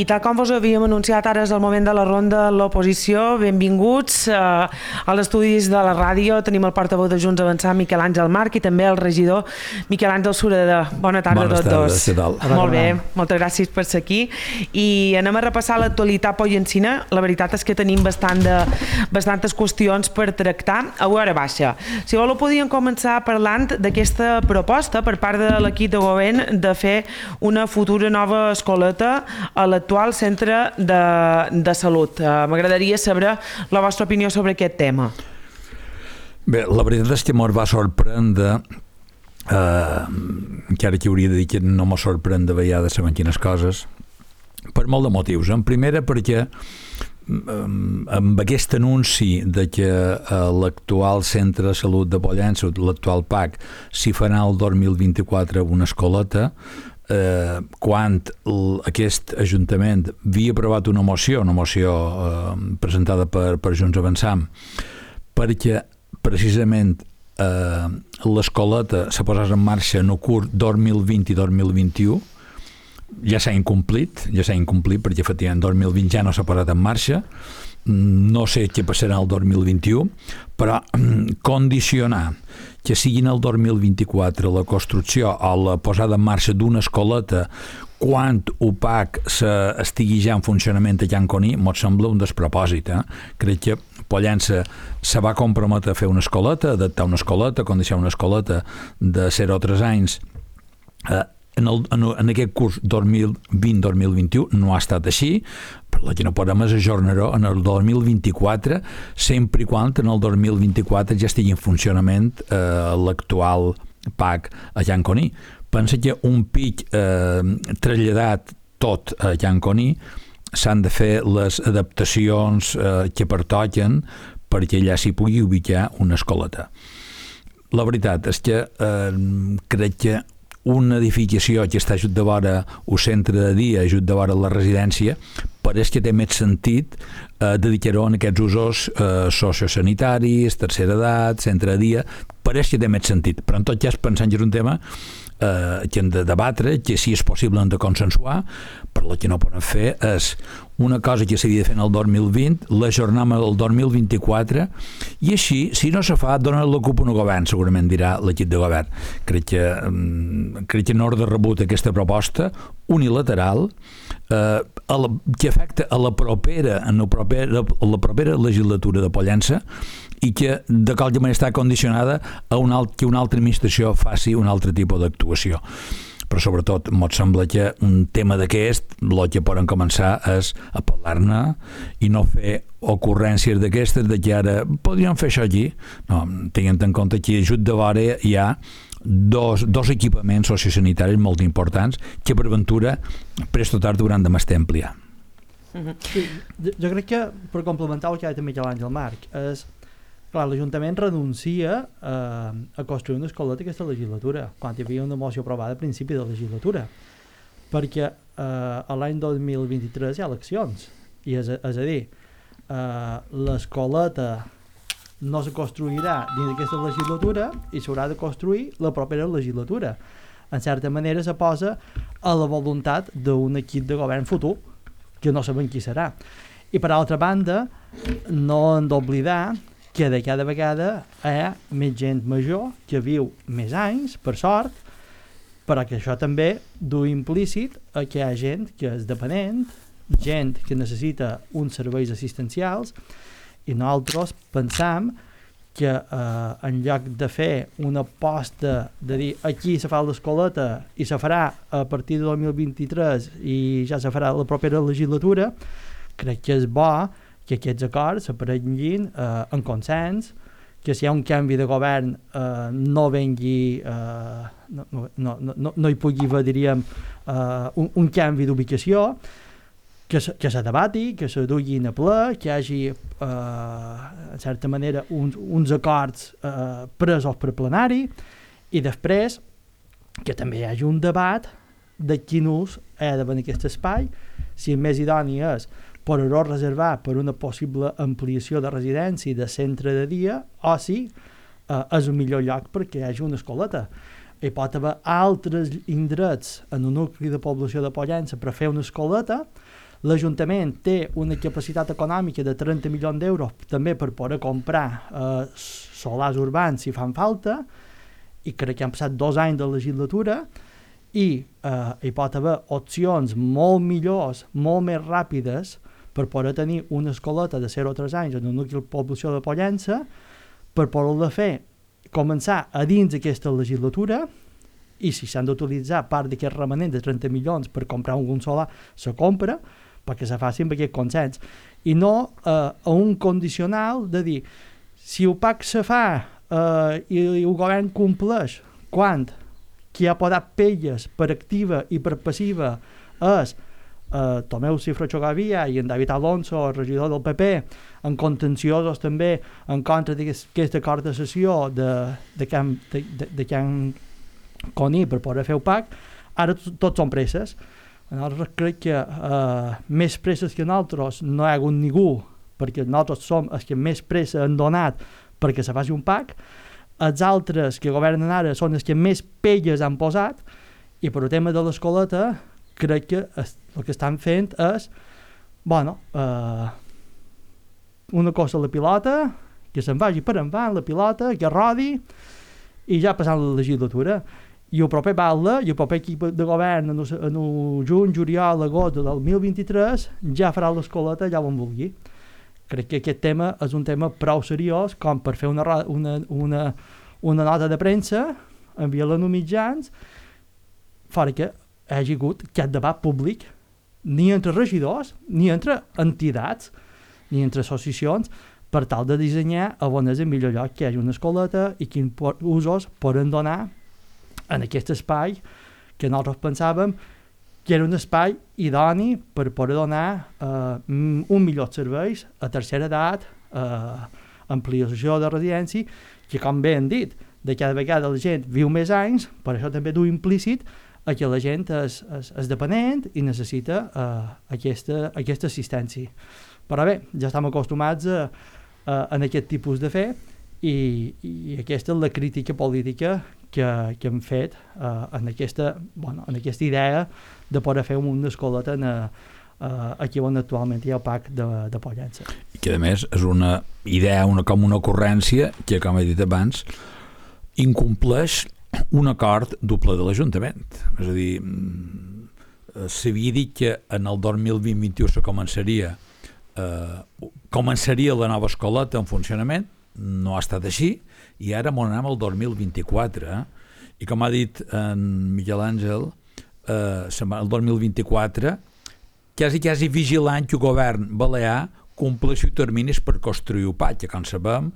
I tal com vos havíem anunciat, ara és el moment de la ronda de l'oposició. Benvinguts als estudis de la ràdio. Tenim el portaveu de Junts Avançar, Miquel Àngel March, i també el regidor Miquel Àngel Sureda. Bona tarda a tots dos. Què tal? Molt bé, moltes gràcies per ser aquí. I anem a repassar l'actualitat pollencina. La veritat és que tenim bastantes qüestions per tractar a hora baixa. Si voleu, podíem començar parlant d'aquesta proposta per part de l'equip de govern de fer una futura nova escoleta a l'actual centre de salut. M'agradaria saber la vostra opinió sobre aquest tema. Bé, la veritat és que m'ho va sorprendre, encara que hauria de dir que no m'ho sorprèn de vegades saber quines coses, per molt de motius. En primera, perquè amb aquest anunci de que l'actual centre de salut de Pollença, l'actual PAC, s'hi farà el 2024 una escoleta, quan aquest Ajuntament havia aprovat una moció presentada per Junts Avançam, perquè precisament l'escoleta se posés en marxa en el curs 2020 i 2021. Ja s'ha incomplit perquè efectivament 2020 ja no s'ha posat en marxa. No sé què passarà el 2021, però condicionar que siguin el 2024 la construcció o la posada en marxa d'una escoleta quan UPAC estigui ja en funcionament a Can Coní, m'ho sembla un despropòsit. Crec que Pollença se va comprometre a fer una escoleta, adaptar una escoleta, condicionar una escoleta de 0 a 3 anys. En aquest curs 2020-2021 no ha estat així, però el que no podem és ajornar-ho en el 2024, sempre i quan en el 2024 ja estigui en funcionament l'actual PAC a Can Coní. Pensa que un pic traslladat tot a Can Coní s'han de fer les adaptacions que pertoquen perquè allà s'hi pugui ubicar una escoleta. La veritat és que crec que una edificació que està just de vora el centre de dia, just de vora la residència, pareix que té més sentit dedicar-ho en aquests usos sociosanitaris, tercera edat, centre de dia, pareix que té més sentit. Però en tot cas, pensant que és un tema que hem de debatre, que si és possible hem de consensuar, però el que no podem fer és una cosa que s'havia de fer en el 2020, l'ajornem al 2024, i així, si no se fa, dona l'ocupa un govern, segurament dirà l'equip de govern. Crec que en ordre rebut aquesta proposta unilateral que afecta a la propera legislatura de Pollença, i que de qualque manera està condicionada a que una altra administració faci un altre tipus d'actuació. Però sobretot m'ho sembla que un tema d'aquest, el que poden començar és a parlar-ne i no fer ocurrències d'aquestes de que ara podríem fer això aquí. No, tenint en compte que just de vora hi ha dos equipaments sociosanitaris molt importants que per ventura presto tard hauran de m'estar ampliar. Sí, jo crec que per complementar el que ha dit Miquel Àngel March és clar, l'Ajuntament renuncia a construir una escoleta aquesta legislatura, quan hi havia una moció aprovada a principi de legislatura, perquè l'any 2023 hi ha eleccions, i és a dir, l'escoleta no se construirà dins d'aquesta legislatura i s'haurà de construir la propera legislatura. En certa manera se posa a la voluntat d'un equip de govern futur, que no sabem qui serà. I per altra banda, no hem d'oblidar que de cada vegada hi ha més gent major que viu més anys, per sort, però que això també du implícit a que hi ha gent que és dependent, gent que necessita uns serveis assistencials, i nosaltres pensam que en lloc de fer una aposta de dir aquí se fa l'escoleta i se farà a partir de 2023 i ja se farà la propera legislatura, crec que és bo que aquests acords s'aprenguin en consens, que si hi ha un canvi de govern no vengui no hi pugui haver, diríem, un canvi d'ubicació, que se debati, que se duguin a ple, que hi hagi en certa manera uns acords presos per plenari, i després que també hi hagi un debat de quin ús ha de venir aquest espai, si el més idoni és poder-ho reservar per una possible ampliació de residència i de centre de dia, o si és el millor lloc perquè hi hagi una escoleta. Hi pot haver altres indrets en un nucli de població de Pollença per fer una escoleta. L'Ajuntament té una capacitat econòmica de 30 milions d'euros també per poder comprar solars urbans si fan falta, i crec que han passat 2 anys de legislatura i hi pot haver opcions molt millors, molt més ràpides per poder tenir una escoleta de 0 a 3 anys en un nucli de població de Pollença, per poder-la fer començar a dins d'aquesta legislatura, i si s'han d'utilitzar part d'aquest remanent de 30 milions per comprar algun solar, se compra, perquè se faci amb aquest consens. I no a un condicional de dir, si el PAC se fa i el govern compleix, quan qui ha posat pelles per activa i per passiva és Tomeu Cifra Xogavia i en David Alonso, el regidor del PP, en contenciosos també en contra d'aquest acord de sessió de Can Coni per poder fer el PAC, ara tots són presses. Nosaltres crec que més presses que nosaltres no hi ha hagut ningú, perquè nosaltres som els que més pressa han donat perquè se faci un PAC. Els altres que governen ara són els que més pelles han posat, i per el tema de l'escoleta crec que el que estan fent és una cosa a la pilota, que se'n vagi per endavant la pilota, que rodi, i ja passant la legislatura. I el proper batle, i el proper equip de govern en el juny, juliol, agost del 2023 ja farà l'escoleta allà on vulgui. Crec que aquest tema és un tema prou seriós com per fer una nota de premsa, enviar-la als mitjans, fora que hi hagi hagut aquest debat públic, ni entre regidors, ni entre entitats, ni entre associacions, per tal de dissenyar a on és el millor lloc que hi hagi una escoleta i quins usos poden donar en aquest espai que nosaltres pensàvem que era un espai idoni per poder donar un millor serveis a tercera edat, ampliació de residència, que com bé hem dit, de cada vegada la gent viu més anys, per això també du implícit a que la gent és dependent i necessita aquesta assistència. Però bé, ja estem acostumats en aquest tipus de fer i aquesta és la crítica política que hem fet en aquesta idea de poder fer una escoleta aquí on actualment hi ha el PAC de Pollença. I que a més és una idea, com una ocurrència que, com he dit abans, incompleix un acord doble de l'Ajuntament. És a dir, s'havia dit que en el 2020-21 començaria la nova escoleta en funcionament, no ha estat així, i ara m'ho anem al 2024, i com ha dit en Miquel Àngel, el 2024 quasi vigilant que el govern balear compleixi terminis per construir el PAC, que com sabem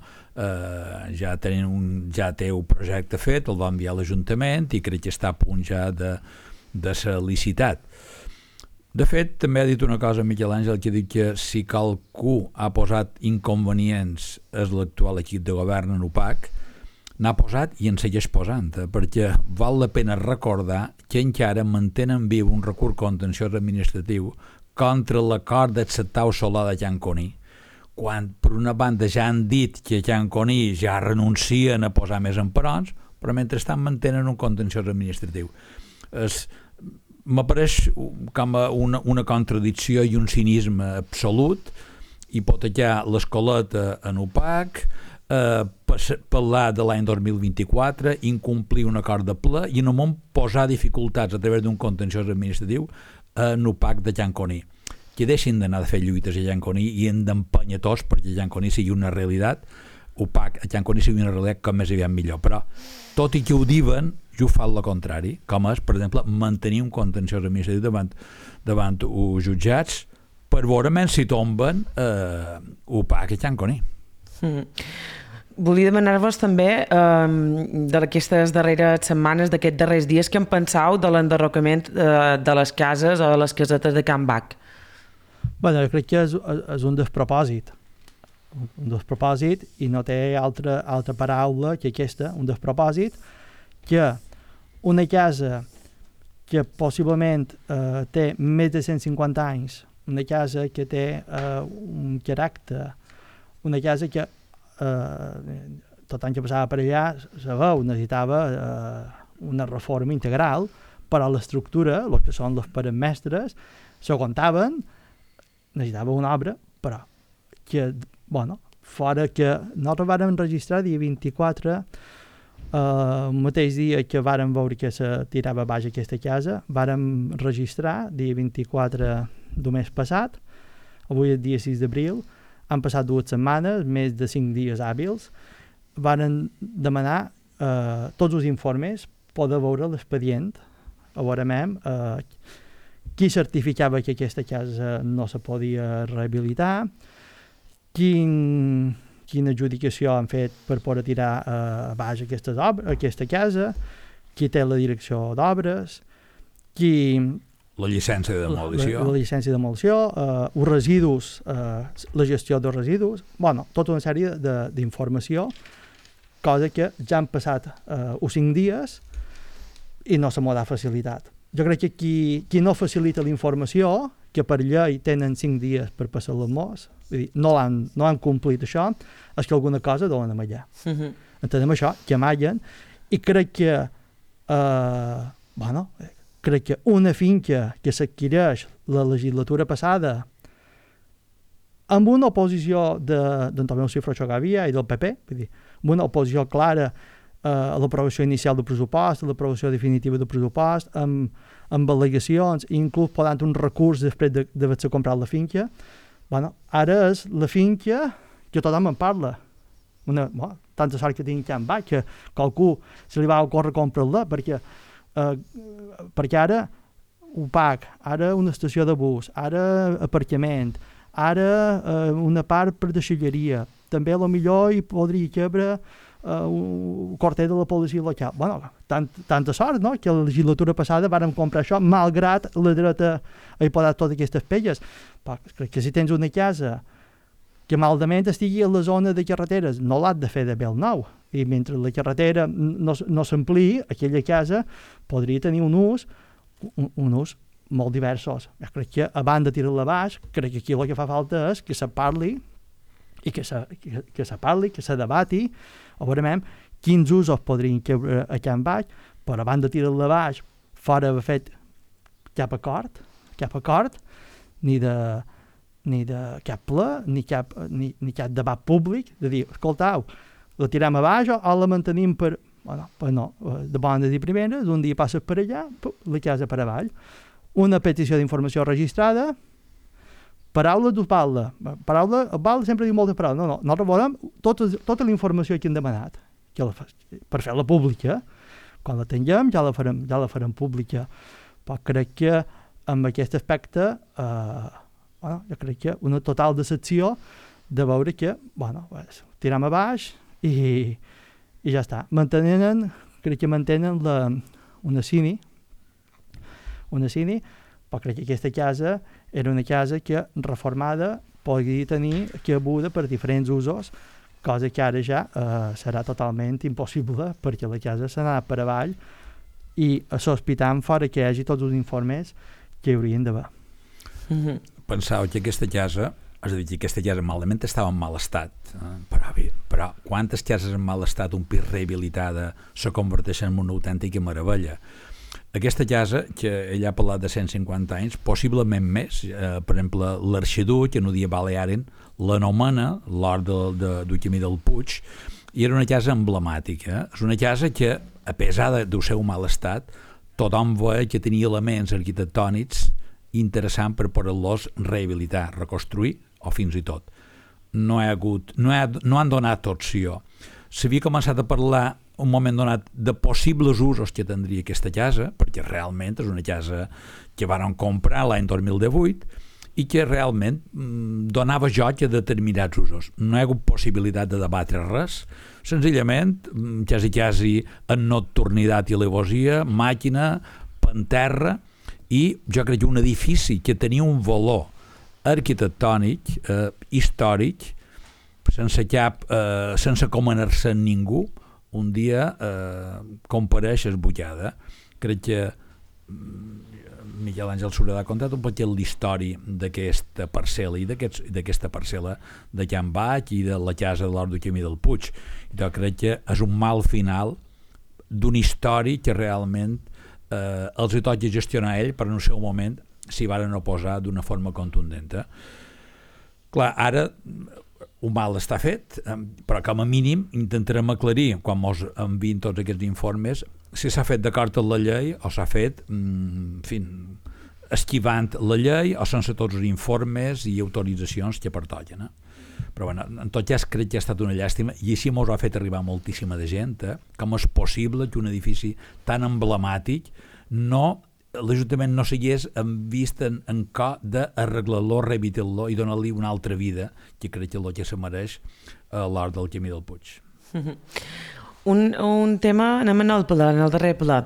ja té un projecte fet, el va enviar a l'Ajuntament i crec que està a punt ja de ser licitat. De fet, també ha dit una cosa Miquel Àngel, que ha dit que si qualcú ha posat inconvenients és l'actual equip de govern en UPAC, n'ha posat i en segueix posant, perquè val la pena recordar que encara mantenen viu un recurs contenciós administratiu contra l'acord d'acceptar el solar de Can Coni, quan per una banda ja han dit que Can Coni ja renuncien a posar més emperons, però mentrestant mantenen un contenciós administratiu. M'apareix com una contradicció i un cinisme absolut, hipotecar l'escoleta en UPAC, parlar de l'any 2024, incomplir un acord de ple i en un moment posar dificultats a través d'un contenciós administratiu en UPAC de Can Coni. Que deixin d'anar a fer lluites a Can Coni i hem d'empènyer tots perquè Can Coni sigui una realitat, UPAC a Can Coni sigui una realitat com més aviat millor. Però, tot i que ho diuen, jo fa el contrari, com és, per exemple, mantenir un contenciós administratiu davant els jutjats per veure si tomben UPAC a Can Coni. Volia demanar-vos també d'aquestes darreres setmanes, d'aquests darrers dies, què en penseu de l'enderrocament de les cases o de les casetes de Can Bac? Bueno, jo crec que és un despropòsit. Un despropòsit, i no té altra paraula que aquesta, un despropòsit, que una casa que possiblement té més de 150 anys, una casa que té un caràcter, una casa que tot any que passava per allà se veu, necessitava una reforma integral, però l'estructura, el que són les parets mestres, s'aguantaven necessitava una obra, però que, bueno, fora que nosaltres vàrem registrar dia 24, el mateix dia que vàrem veure que se tirava baix aquesta casa, vàrem registrar dia 24 del mes passat, avui és dia 6 d'abril, han passat 2 setmanes, més de 5 dies hàbils, varen demanar tots els informes, poder veure l'expedient, a veure qui certificava que aquesta casa no se podia rehabilitar, quina adjudicació han fet per poder tirar baix aquesta casa, qui té la direcció d'obres, la llicència de demolició, la llicència de demolició, els residus, la gestió dels residus, bueno, tota una sèrie d'informació, cosa que ja han passat uns 5 dies i no se m'ho ha facilitat. Jo crec que qui no facilita la informació, que per llei tenen 5 dies per passar les mos, vull dir, no han complit això, és que alguna cosa deuen amallar. Entenem això, que amallen, i crec que crec que una finca que s'adquireix la legislatura passada amb una oposició d'Antonio Cifrocho Gavia i del PP, vull dir, amb una oposició clara a l'aprovació inicial del pressupost, a l'aprovació definitiva del pressupost, amb al·legacions, inclús podant un recurs després d'haver-se comprat la finca. Ara és la finca que tothom en parla. Tanta sort que tinc Can Baix, que qualcú se li va ocórrer comprar-la, perquè ara UPAC, ara una estació de bus, ara aparcament, ara una part per deixalleria, també a lo millor hi podria cabre un quarter de la policia local. Tanta sort, no?, que la legislatura passada vàrem comprar això, malgrat la dreta ha posat totes aquestes pelles. Però crec que si tens una casa que maldament estigui a la zona de carreteres, no l'has de fer de bel nou. I mentre la carretera no s'ampliï, aquella casa podria tenir un ús molt diversos. Jo crec que, a banda de tirar-la baix, crec que aquí el que fa falta és que se parli i que se debati, a veure quins usos podrien caure a Can Baix, però a banda de tirar-la baix, fora haver fet cap acord, ni de cap ple, ni cap debat públic, de dir, escoltau, la tirem a baix o la mantenim per de bones i primeres, un dia passes per allà, la casa per avall. Una petició d'informació registrada, paraula d'ús balda. El balda sempre diu moltes paraules. No, nosaltres volem tota la informació que hem demanat, per fer-la pública. Quan la tinguem ja la farem pública. Però crec que amb aquest aspecte jo crec que una total decepció de veure que tirem a baix i ja està. Crec que mantenen una cini, però crec que aquesta casa era una casa que reformada podria tenir cabuda per diferents usos, cosa que ara ja serà totalment impossible perquè la casa s'ha anat per avall i sospitant fora que hi hagi tots els informes que hi haurien d'haver. Pensava que aquesta casa, és a dir, que aquesta casa malament estava en mal estat, però quantes cases en mal estat, un pis rehabilitada, se converteixen en una autèntica meravella. Aquesta casa, que ella ha parlat de 150 anys, possiblement més, per exemple, l'Arxiduc, en un dia Balearen, l'anomena l'hort del Camí del Puig, i era una casa emblemàtica. És una casa que, a pesar del seu mal estat, tothom veia que tenia elements arquitectònics interessants per poder-los rehabilitar, reconstruir o fins i tot. No han donat opció. S'havia començat a parlar un moment donat de possibles usos que tindria aquesta casa, perquè realment és una casa que varen comprar l'any 2018 i que realment donava joc a determinats usos. No hi ha hagut possibilitat de debatre res, senzillament, quasi en nocturnitat i alevosia, màquina, panterra, i jo crec que un edifici que tenia un valor arquitectònic, històric, sense comenar-se en ningú, un dia compareix esbutllada. Crec que Miquel Àngel Sureda ha contat un poc l'història d'aquesta parcel·la i d'aquesta parcel·la de Can Baix i de la casa de l'Hort del Camí del Puig. Jo crec que és un mal final d'una història que realment els hi toca gestionar ell, però en el seu moment s'hi varen oposar d'una forma contundent. Clar, ara un mal està fet, però com a mínim intentarem aclarir, quan ens enviïn tots aquests informes, si s'ha fet d'acord amb la llei o s'ha fet esquivant la llei o sense tots els informes i autoritzacions que pertoquen. Però bueno, en tot cas crec que ha estat una llàstima i així ens ha fet arribar moltíssima de gent, com és possible que un edifici tan emblemàtic l'Ajuntament no s'hagués vist en co d'arreglar-lo, rehabilitar-lo i donar-li una altra vida, que crec que és el que se mereix a l'hort del Camí del Puig. Un tema, anem en el darrer ple,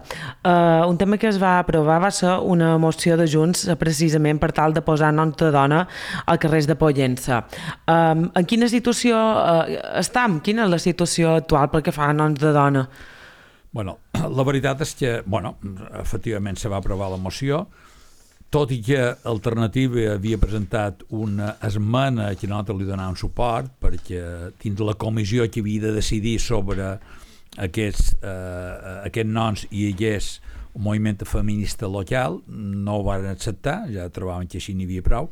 un tema que es va aprovar va ser una moció de Junts precisament per tal de posar noms de dona al carrer de Pollença. En quina situació estem? Quina és la situació actual pel que fa a noms de dona? Bueno, la veritat és que, efectivament se va aprovar la moció, tot i que Alternativa havia presentat una esmena que nosaltres li donàvem suport, perquè dins la comissió que havia de decidir sobre aquests noms hi hagués un moviment feminista local, no ho van acceptar, ja trobaven que així n'hi havia prou,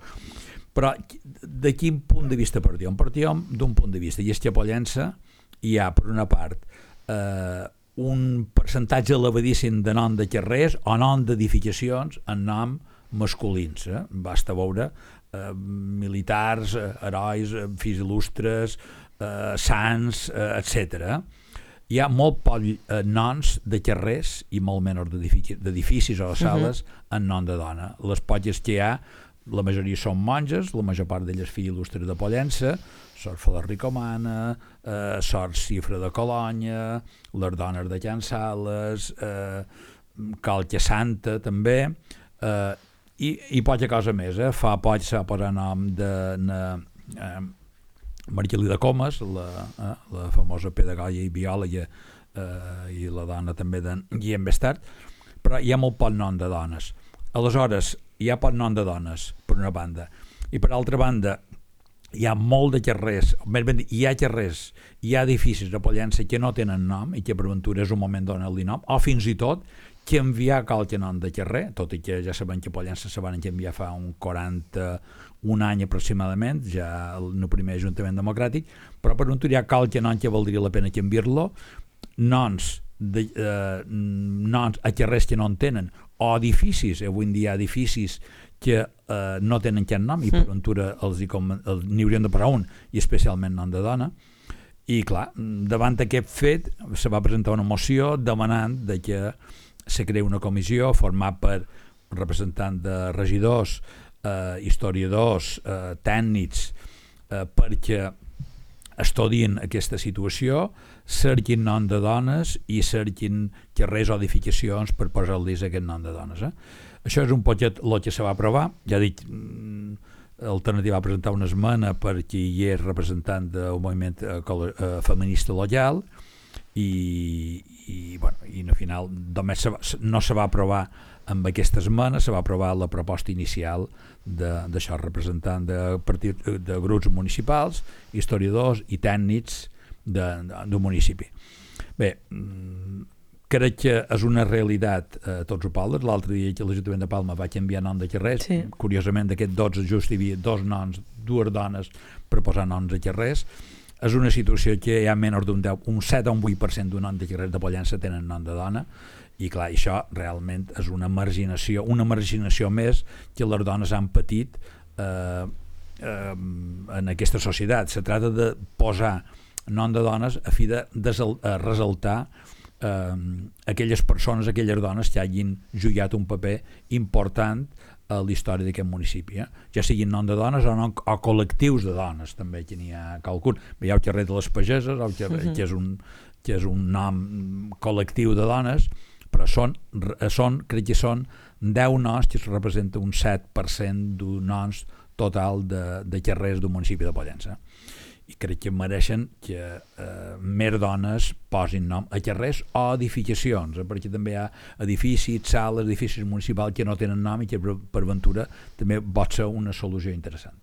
però de quin punt de vista partíem? Partíem d'un punt de vista, i és que a Pollença hi ha, per una part, un percentatge elevadíssim de nom de carrers o nom d'edificacions en nom masculins. Basta veure militars, herois, fills il·lustres, sants, etc. Hi ha molt pocs noms de carrers i molt menys d'edificis o de sales en nom de dona. Les poques que hi ha, la majoria són monges, la major part d'elles filles il·lustres de Pollença, Sor Fola Ricomana, Sor Cifra de Colonya, les dones de Can Sales, Calca Santa també, i poca cosa més. Fa poc s'ha posat nom de Margelida Comas, la famosa pedagoga i biòloga, i la dona també de Guillem Bestart, però hi ha molt poc nom de dones. Aleshores, hi ha poc nom de dones, per una banda, i per altra banda, hi ha molt de carrers, hi ha carrers, hi ha edificis a Pollença que no tenen nom i que per ventura és un moment de donar-li nom, o fins i tot que enviar qualque nom de carrer, tot i que ja sabem que a Pollença se van enviar fa un 41 any aproximadament, ja en el primer Ajuntament Democràtic, però per ventura hi ha qualque nom que valdria la pena canviar-lo, noms a carrers que no en tenen, o edificis, avui en dia hi ha edificis que no tenen cap nom i per ventura n'hi haurien de posar un, i especialment nom de dona. I clar, davant d'aquest fet se va presentar una moció demanant que se creï una comissió format per representants de regidors, historiadors, tècnics, perquè estudien aquesta situació, cerquin nom de dones i cerquin carrers o edificacions per posar-los aquest nom de dones. Això és un poquet el que se va aprovar. Ja dic, Alternativa va presentar una esmena perquè hi és representant del moviment feminista local i al final només no se va aprovar amb aquesta esmena, se va aprovar la proposta inicial d'això, representant de grups municipals, historiadors i tècnics d'un municipi. Bé, crec que és una realitat a tots els pobles. L'altre dia que l'Ajuntament de Palma va canviar nom de carrers, curiosament d'aquests 12 just hi havia dues dones per posar noms de carrers. És una situació que hi ha menys d'un 7 o un 8% d'un nom de carrers de Pollença tenen nom de dona, i clar, això realment és una marginació més que les dones han patit en aquesta societat. Se tracta de posar nom de dones a fi de ressaltar aquelles persones, aquelles dones que hagin jugat un paper important a la història d'aquest municipi, ja siguin nom de dones o col·lectius de dones, també que n'hi ha qualcun. Hi ha el carrer de les Pageses, que és un nom col·lectiu de dones, però crec que són 10 noms que representa un 7% d'un noms total de carrers d'un municipi de Pollença. I crec que mereixen que més dones posin nom a carrers o edificacions, perquè també hi ha edificis, sales, edificis municipals que no tenen nom i que per ventura també pot ser una solució interessant.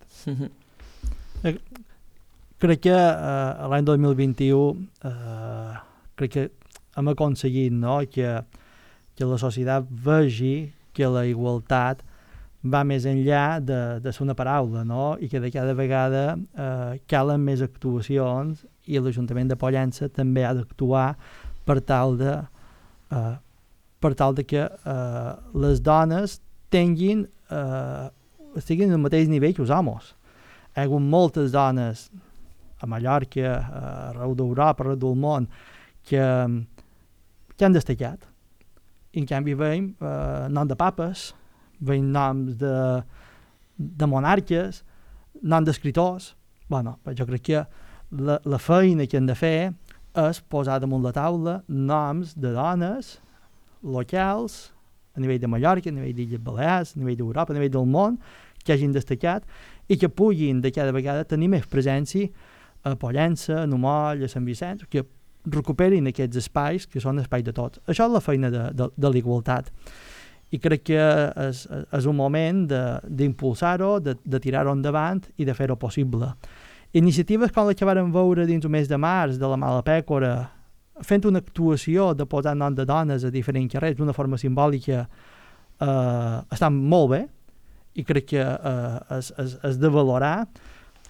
Crec que l'any 2021 crec que hem aconseguit, no?, que la societat vegi que la igualtat va més enllà de ser una paraula, no? I que de cada vegada calen més actuacions i l'Ajuntament de Pollença també ha d'actuar per tal de que les dones estiguin al mateix nivell que els homes. Hi ha hagut moltes dones a Mallorca, arreu d'Europa, arreu del món, que han destacat. I en canvi veiem nom de papes, veiem noms de monarques, nom d'escriptors. Bueno, jo crec que la feina que hem de fer és posar damunt la taula noms de dones locals, a nivell de Mallorca, a nivell d'Illes Balears, a nivell d'Europa, a nivell del món, que hagin destacat i que puguin de cada vegada tenir més presència a Pollença, a Numoll, a Sant Vicenç, que recuperin aquests espais que són espais de tots. Això és la feina de l'igualtat. I crec que és un moment d'impulsar-ho, de tirar-ho endavant i de fer-ho possible. Iniciatives com les que vam veure dins el mes de març de la Mala Pècora, fent una actuació de posar nom de dones a diferents carrers d'una forma simbòlica, estan molt bé i crec que és de valorar,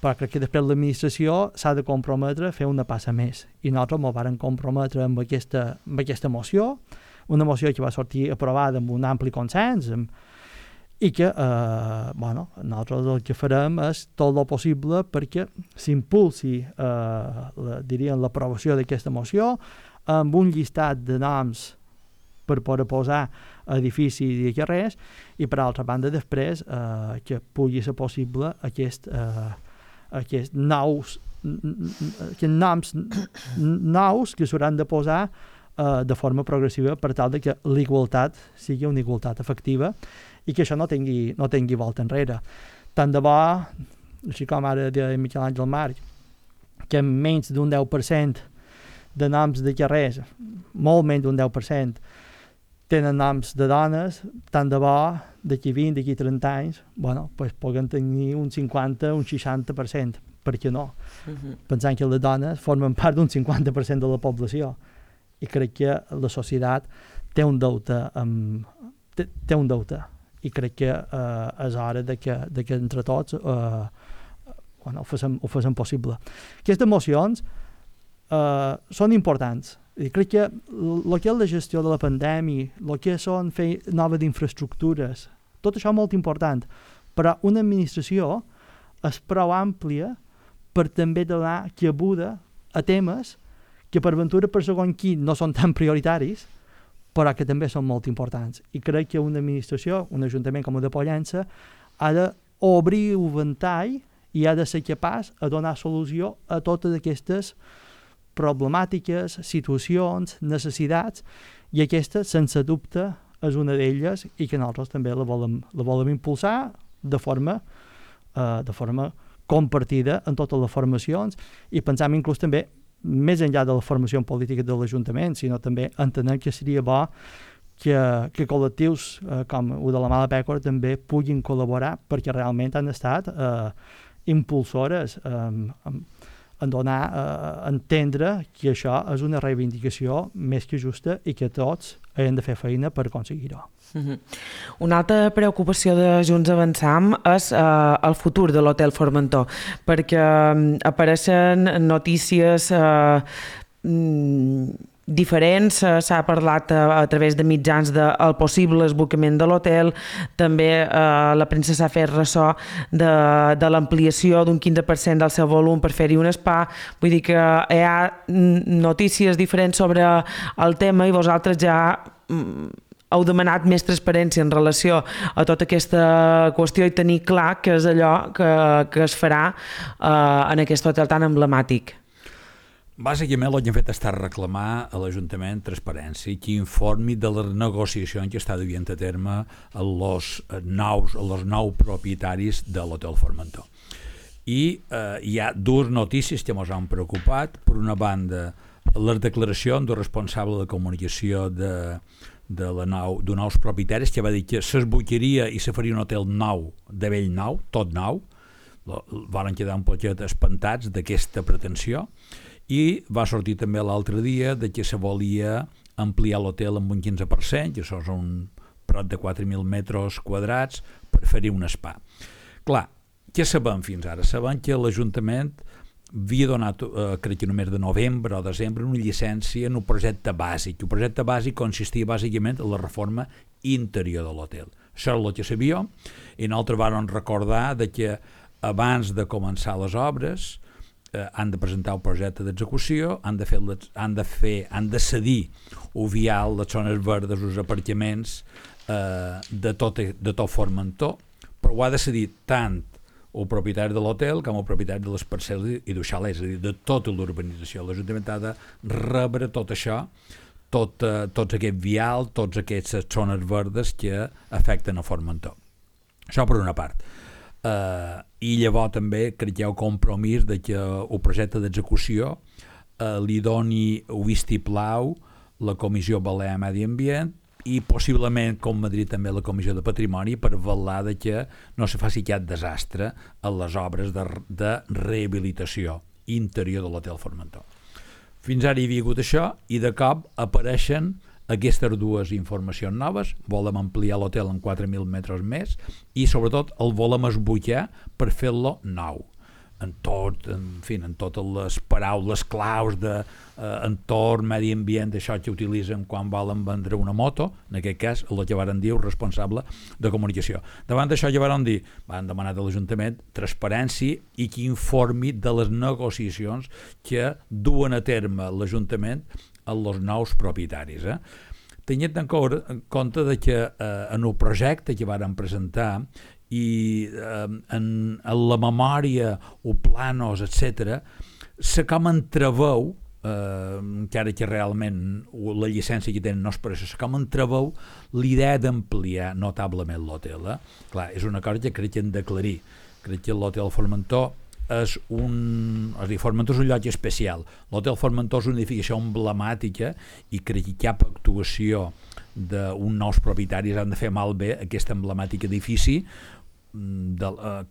però crec que després l'administració s'ha de comprometre a fer una passa més. I nosaltres ens vam comprometre amb aquesta moció, una moció que va sortir aprovada amb un ampli consens i que nosaltres el que farem és tot el possible perquè s'impulsi l'aprovació d'aquesta moció amb un llistat de noms per poder posar edificis i carrers i per altra banda després que pugui ser possible aquests noms nous que s'hauran de posar de forma progressiva per tal de que l'igualtat sigui una igualtat efectiva i que això no tingui volta enrere. Tant de bo, així com ara de Miquel Àngel Marc, que menys d'un 10% de noms de carrers, molt menys d'un 10%, tenen noms de dones, tant de bo d'aquí 20, d'aquí 30 anys, puguen tenir un 50, un 60%. Per què no? Pensant que les dones formen part d'un 50% de la població. I crec que la societat té un deute i crec que és hora de que entre tots ho facin possible. Aquestes mocions són importants. I crec que el que és la gestió de la pandèmia, el que són fer noves infraestructures, tot això és molt important, però una administració és prou àmplia per també donar cabuda a temes que per ventura per segon qui no són tan prioritaris, però que també són molt importants. I crec que una administració, un ajuntament com el de Pollença, ha d'obrir un ventall i ha de ser capaç de donar solució a totes aquestes problemàtiques, situacions, necessitats, i aquesta, sense dubte, és una d'elles i que nosaltres també la volem impulsar de forma compartida en totes les formacions i pensam inclús també més enllà de la formació política de l'Ajuntament, sinó també entenem que seria bo que col·lectius com el de la Mala Pècora també puguin col·laborar perquè realment han estat impulsores en donar a entendre que això és una reivindicació més que justa i que tots hem de fer feina per aconseguir-ho. Una altra preocupació de Junts Avançam és el futur de l'Hotel Formentor, perquè apareixen notícies diferents, s'ha parlat a través de mitjans del possible esbocament de l'hotel, també la premsa s'ha fet ressò de l'ampliació d'un 15% del seu volum per fer-hi un spa, vull dir que hi ha notícies diferents sobre el tema i vosaltres ja heu demanat més transparència en relació a tota aquesta qüestió i tenir clar què és allò que es farà en aquest hotel tan emblemàtic. Bàsicament el que hem fet és reclamar a l'Ajuntament transparència i que informi de les negociacions que està duent a terme els nous propietaris de l'Hotel Formentor. I hi ha dues notícies que ens han preocupat. Per una banda, les declaracions del responsable de comunicació d'un nous propietaris que va dir que s'esboquiria i se faria un hotel nou, de vell nou, tot nou. Van quedar un poquet espantats d'aquesta pretensió. I va sortir també l'altre dia que se volia ampliar l'hotel amb un 15%, que això són prop de 4.000 metres quadrats, per fer-hi un spa. Clar, què sabem fins ara? Sabem que l'Ajuntament havia donat, crec que només de novembre o desembre, una llicència en un projecte bàsic. El projecte bàsic consistia bàsicament en la reforma interior de l'hotel. Això és el que sabíem, i nosaltres vam recordar de que abans de començar les obres han de presentar el projecte d'execució, han de cedir o vial, les zones verdes, els aparcaments de tot Formentor, però ho ha de cedir tant el propietari de l'hotel com el propietari de les parcel·les i del xalet, és a dir, de tota l'urbanització. L'Ajuntament ha de rebre tot això, tots aquest vial, tots aquestes zones verdes que afecten a Formentor. Això per una part. I llavors també crec que hi ha el compromís de que el projecte d'execució li doni el vistiplau la Comissió Balear Medi Ambient i possiblement, com Madrid, també la Comissió de Patrimoni, per vetllar de que no se faci cap desastre a les obres de rehabilitació interior de l'Hotel Formentor. Fins ara hi havia hagut això i de cop apareixen aquestes dues informacions noves. Volem ampliar l'hotel en 4.000 metres més i sobretot el volem esbutllar per fer-lo nou. En totes les paraules claus d'entorn, medi ambient, això que utilitzen quan volen vendre una moto, en aquest cas el que varen dir el responsable de comunicació. Davant d'això ja varen dir, van demanar de l'Ajuntament transparència i que informi de les negociacions que duen a terme l'Ajuntament amb els nous propietaris. Tenint en compte de que en el projecte que varen presentar i en la memòria o planos, etc., se com entreveu, encara que realment la llicència que tenen no és per això, se com entreveu l'idea d'ampliar notablement l'hotel. Clar, és una cosa que crec que hem d'aclarir. Crec que l'Hotel Formentor Formentor és un lloc especial. L'Hotel Formentor és una edificació emblemàtica i crec que cap actuació d'un nous propietaris han de fer malbé aquest emblemàtic edifici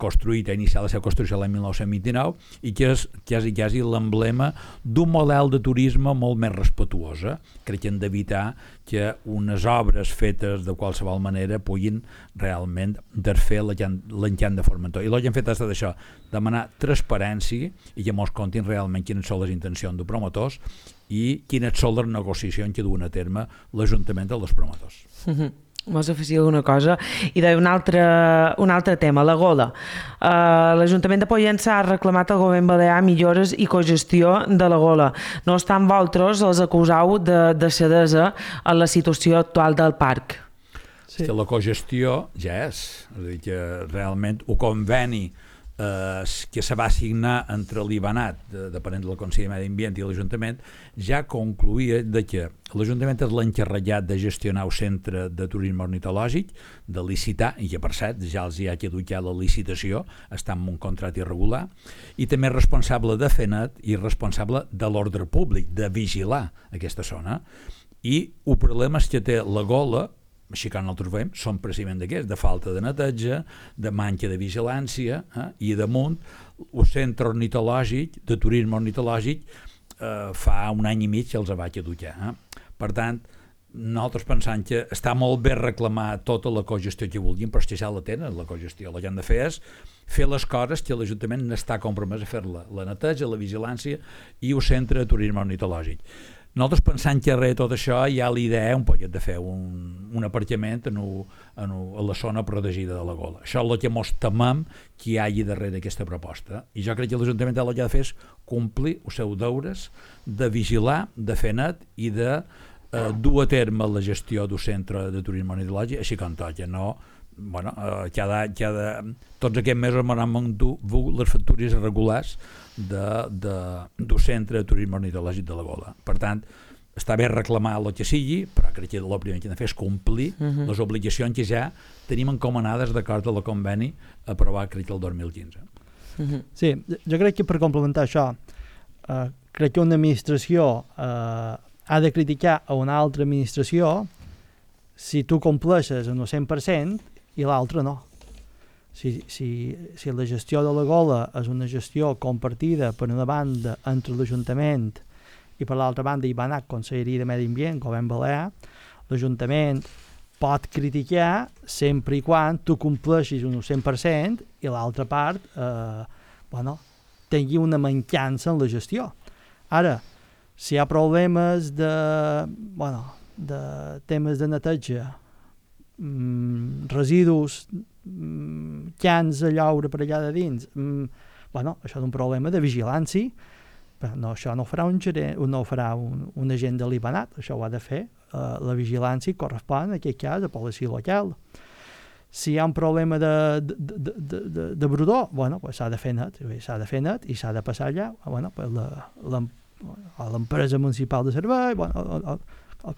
construït, inicial la seva construcció l'any 1929 i que és quasi l'emblema d'un model de turisme molt més respetuosa. Crec que hem d'evitar que unes obres fetes de qualsevol manera puguin realment desfer l'encant de Formentor. I el que hem fet ha estat això, demanar transparència i que mos contin realment quines són les intencions de promotors i quines són les negociacions que duen a terme l'Ajuntament dels promotors. Vols afegir alguna cosa? I d'un altre tema, la gola. L'Ajuntament de Pollença ha reclamat al govern balear millores i cogestió de la gola. No obstant, vosaltres els acuseu de cedesa en la situació actual del parc. Sí. La cogestió ja és a dir, que realment el conveni que se va signar entre l'IBANAT, depenent del Consell de Medi Ambient i l'Ajuntament, ja concluïa de que l'Ajuntament és l'encarregat de gestionar el centre de turisme ornitològic, de licitar, i que per cert ja els hi ha caducat la licitació, està en un contracte irregular, i també és responsable de FENAT i responsable de l'ordre públic, de vigilar aquesta zona. I el problema és que té la gola, així que nosaltres veiem, són precisament d'aquests, de falta de neteja, de manca de vigilància, i damunt el centre ornitològic, de turisme ornitològic, fa un any i mig que els va caducar. Per tant, nosaltres pensam que està molt bé reclamar tota la cogestió que vulguin, però és que ja la tenen, la cogestió. El que han de fer és fer les coses que l'Ajuntament n'està compromès a fer-la, la neteja, la vigilància i el centre de turisme ornitològic. Nosaltres pensant que darrere tot això hi ha l'idea un poquet de fer un aparcament a la zona protegida de la gola. Això és el que mos temem que hi hagi darrere aquesta proposta. I jo crec que l'Ajuntament el que ha de fer és complir els seus deures de vigilar, de fer net i de dur a terme la gestió del centre de turisme ornitològic, així com toca, no? Tots aquests mesos m'han endur les factures irregulars del centre de turisme ornitològic de la Gola. Per tant, està bé reclamar el que sigui, però crec que el primer que hem de fer és complir les obligacions que ja tenim encomanades d'acord amb el conveni aprovat, crec que el 2015. Sí, jo crec que per complementar això, crec que una administració ha de criticar a una altra administració si tu compleixes en el 100% i l'altre no. Si la gestió de la gola és una gestió compartida per una banda entre l'Ajuntament i per l'altra banda hi va anar Conselleria de Medi Ambient, Govern Balear, l'Ajuntament pot criticar sempre i quan tu compleixis un 100% i l'altra part tingui una mancança en la gestió. Ara, si hi ha problemes de temes de neteja, residus, cans a lloure per allà de dins, això és un problema de vigilància, però això no ho farà un agent de l'IBANAT, això ho ha de fer la vigilància correspon en aquest cas a policia local. Si hi ha un problema de brodor, pues s'ha de fer net i s'ha de passar allà a l'empresa municipal de servei,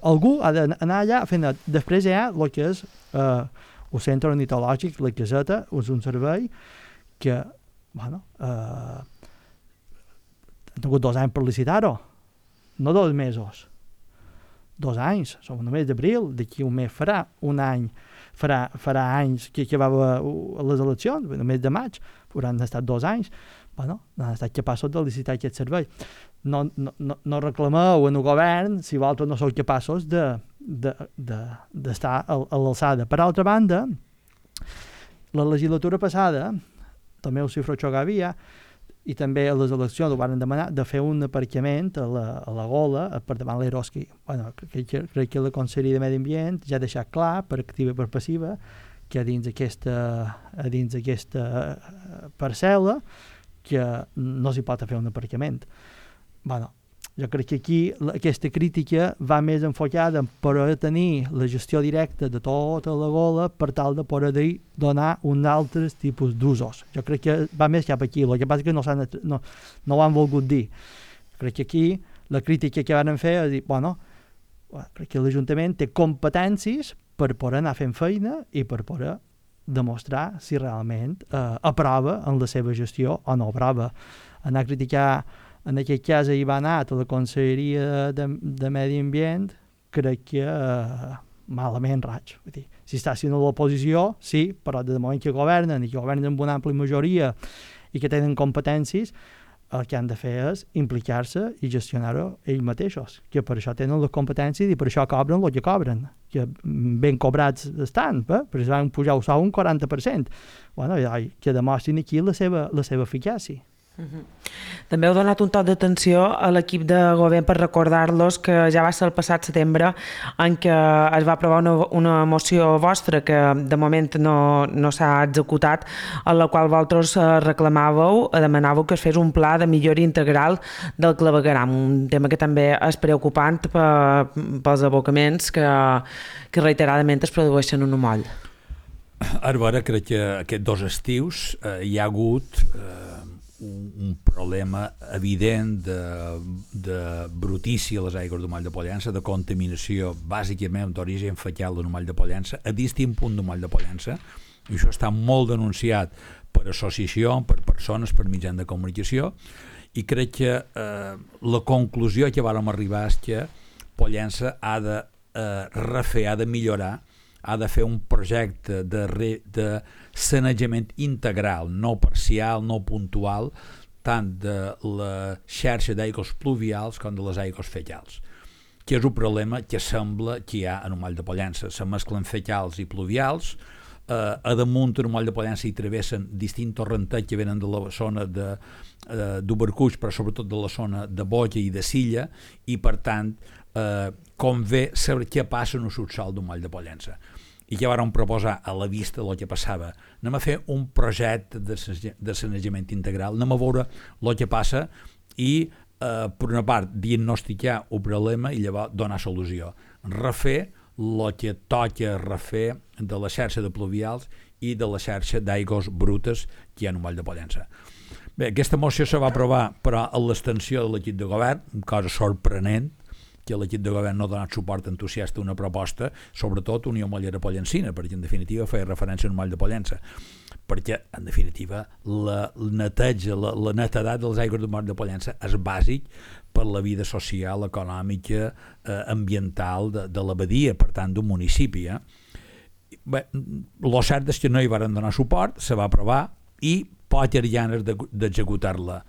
algú ha d'anar allà a fer net. Després hi ha el que és el centre ornitològic, la caseta, és un servei que han tingut 2 anys per licitar-ho, no 2 mesos, 2 anys, som només d'abril, d'aquí un mes farà un any, farà anys que va a les eleccions, només de maig, hauran estat 2 anys, no han estat capaços de licitar aquest servei. No reclameu en el govern si vosaltres no sou capaços d'estar a l'alçada. Per altra banda, la legislatura passada, també el Cifro Xogavia, i també a les eleccions ho van demanar de fer un aparcament a la Gola per davant l'Eroski. Crec que la Conselleria de Medi Ambient ja ha deixat clar, per activa i per passiva, que dins aquesta parcel·la que no s'hi pot fer un aparcament. Jo crec que aquí aquesta crítica va més enfocada en poder tenir la gestió directa de tota la Gola per tal de poder donar un altre tipus d'usos. Jo crec que va més cap aquí, el que passa que no ho han volgut dir. Crec que aquí la crítica que van fer és dir, crec que l'Ajuntament té competències per poder anar fent feina i per poder demostrar si realment aprova en la seva gestió o no aprova. Anar a criticar en aquest cas hi va anar a la Conselleria de Medi Ambient, crec que malament raig. Si està sent a l'oposició, sí, però de moment que governen i que governen amb una àmplia majoria i que tenen competències, el que han de fer és implicar-se i gestionar-ho ells mateixos, que per això tenen les competències i per això cobren el que cobren, que ben cobrats estan, per això van pujar el sou un 40%. Que demostrin aquí la seva eficàcia. També heu donat un toc d'atenció a l'equip de govern per recordar-los que ja va ser el passat setembre en què es va aprovar una moció vostra que de moment no s'ha executat, en la qual vosaltres reclamàveu, demanàveu que es fes un pla de millora integral del clavegueram, un tema que també és preocupant pels abocaments que reiteradament es produeixen en un moll. Ara veure, crec que aquests 2 estius hi ha hagut un problema evident de brutícia a les aigües del moll de Pollença, de contaminació bàsicament d'origen fecal del moll de Pollença, a distint punt del moll de Pollença, i això està molt denunciat per associació, per persones, per mitjans de comunicació, i crec que la conclusió que vàrem arribar és que Pollença ha de refer, ha de millorar, ha de fer un projecte de sanejament integral, no parcial, no puntual, tant de la xarxa d'aigües pluvials com de les aigües fecals, que és un problema que sembla que hi ha en el moll de Pollença. Se mesclen fecals i pluvials, a damunt en el moll de Pollença hi travessen distints torrentets que venen de la zona d'Ubercuix, però sobretot de la zona de Boja i de Silla, i per tant convé saber què passa en el subsòl del moll de Pollença. I que vàrem proposar a la vista del que passava, anem a fer un projecte de sanejament integral, anem a veure el que passa i, per una part, diagnosticar el problema i llavors donar solució. Refer el que toca refer de la xarxa de pluvials i de la xarxa d'aigües brutes que hi ha en el moll de Pollença. Bé, aquesta moció se va aprovar, però a l'extensió de l'equip de govern, cosa sorprenent, que l'equip de govern no ha donat suport entusiasta a una proposta, sobretot Unió Mollera Pollencina, perquè en definitiva feia referència al moll de Pollença, perquè en definitiva la neteja, la netedat dels aigües del moll de Pollença és bàsic per la vida social, econòmica, ambiental de la badia, per tant d'un municipi. Bé, el cert és que no hi varen donar suport, se va aprovar i poques ganes d'executar-la.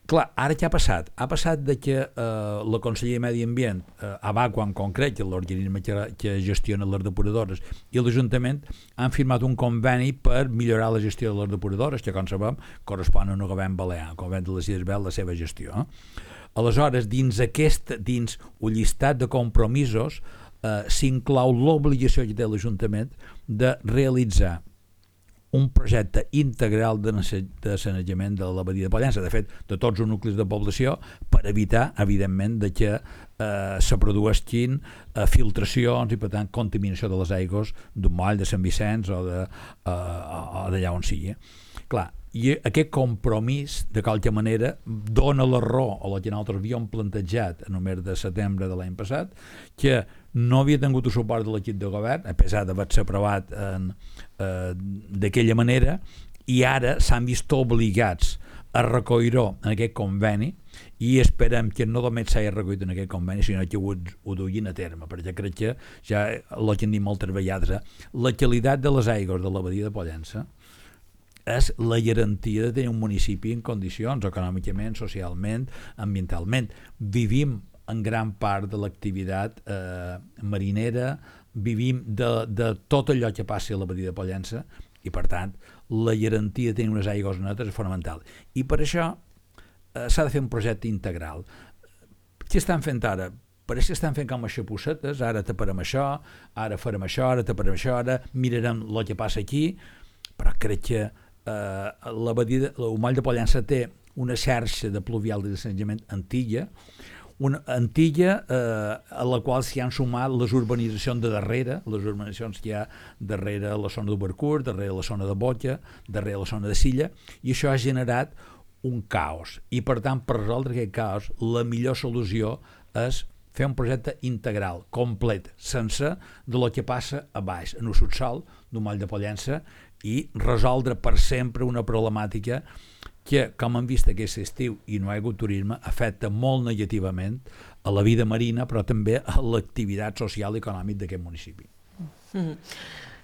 Clar, ara què ha passat? Ha passat de que la Conselleria de Medi Ambient, ABACO en concret, l'organisme que gestiona les depuradores, i l'Ajuntament han firmat un conveni per millorar la gestió de les depuradores, que, com sabem, correspon a un govern balear, el govern de les Illes Balears, la seva gestió. Aleshores, dins un llistat de compromisos, s'inclou l'obligació que té l'Ajuntament de realitzar un projecte integral de sanejament de la badia de Pollença, de fet, de tots els nuclis de població, per evitar, evidentment, de que se produeixin filtracions i, per tant, contaminació de les aigües d'un moll de Sant Vicenç o d'allà on sigui. Clar, i aquest compromís, de qualque manera, dona la raó a la que nosaltres havíem plantejat en el mes de setembre de l'any passat, que no havia tingut el suport de l'equip de govern, a pesar d'haver-se aprovat d'aquella manera, i ara s'han vist obligats a recollir-ho en aquest conveni, i esperem que no només s'hagi recollit en aquest conveni, sinó que ho duguin a terme, perquè crec que ja el que hem dit moltes vegades, la qualitat de les aigües de la badia de Pollença és la garantia de tenir un municipi en condicions econòmicament, socialment, ambientalment. Vivim en gran part de l'activitat marinera, vivim de tot allò que passi a la badia de Pollença, i per tant la garantia de tenir unes aigües netes és fonamental. I per això s'ha de fer un projecte integral. Què estan fent ara? Pareix que estan fent com a xapussetes, ara taparem això, ara farem això, ara taparem això, ara mirarem el que passa aquí, però crec que el moll de Pollença té una xarxa de pluvial de sanejament antiga, una antiga a la qual s'hi han sumat les urbanitzacions de darrere, les urbanitzacions que hi ha darrere la zona d'Ubercurt, darrere la zona de Botja, darrere la zona de Silla, i això ha generat un caos. I per tant, per resoldre aquest caos, la millor solució és fer un projecte integral, complet, sense de lo que passa a baix, en el subsòl d'un moll de Pollença, i resoldre per sempre una problemàtica que, com hem vist aquest estiu i no hi ha hagut turisme, afecta molt negativament a la vida marina, però també a l'activitat social i econòmica d'aquest municipi.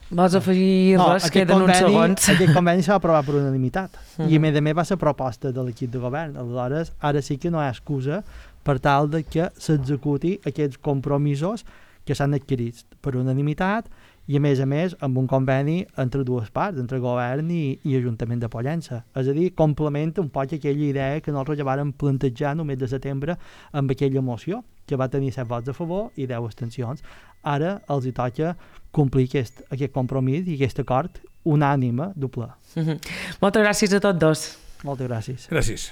Vols afegir res? Queden uns segons. Aquest conveni s'ha aprovat per unanimitat i a més va ser proposta de l'equip de govern. Aleshores, ara sí que no hi ha excusa per tal de que s'executi aquests compromisos que s'han adquirit per unanimitat i a més amb un conveni entre dues parts, entre govern i Ajuntament de Pollença. És a dir, complementa un poc aquella idea que nosaltres ja vàrem plantejar el mes de setembre amb aquella moció, que va tenir 7 vots a favor i 10 abstencions. Ara els hi toca complir aquest compromís i aquest acord unànime, doble. Moltes gràcies a tots dos. Moltes gràcies. Gràcies.